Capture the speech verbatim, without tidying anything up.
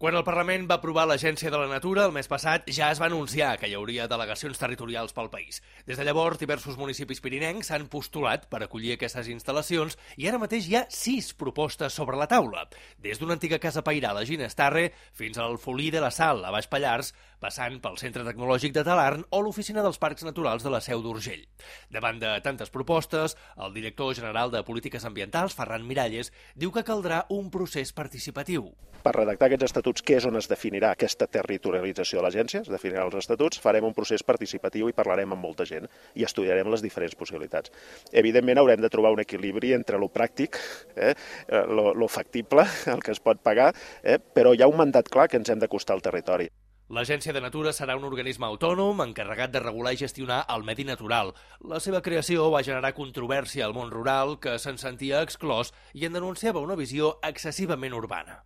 Quan el Parlament va aprovar l'Agència de la Natura el mes passat, ja es va anunciar que hi hauria delegacions territorials pel país. Des de llavors, diversos municipis pirinencs s'han postulat per acollir aquestes instal·lacions i ara mateix hi ha sis propostes sobre la taula. Des d'una antiga casa pairal a Ginestarre fins al Folí de la Sal, a Baix Pallars, passant pel Centre Tecnològic de Talarn o l'Oficina dels Parcs Naturals de la Seu d'Urgell. Davant de tantes propostes, el director general de Polítiques Ambientals, Ferran Miralles, diu que caldrà un procés participatiu. Per redactar aquests estatuts, que és on es definirà aquesta territorialització de l'agència, es definirà els estatuts, farem un procés participatiu i parlarem amb molta gent i estudiarem les diferents possibilitats. Evidentment haurem de trobar un equilibri entre lo pràctic, eh, lo, lo factible, el que es pot pagar, eh, però hi ha un mandat clar que ens hem d'acostar al territori. L'Agència de Natura serà un organisme autònom encarregat de regular i gestionar el medi natural. La seva creació va generar controvèrsia al món rural, que se'n sentia exclòs i en denunciava una visió excessivament urbana.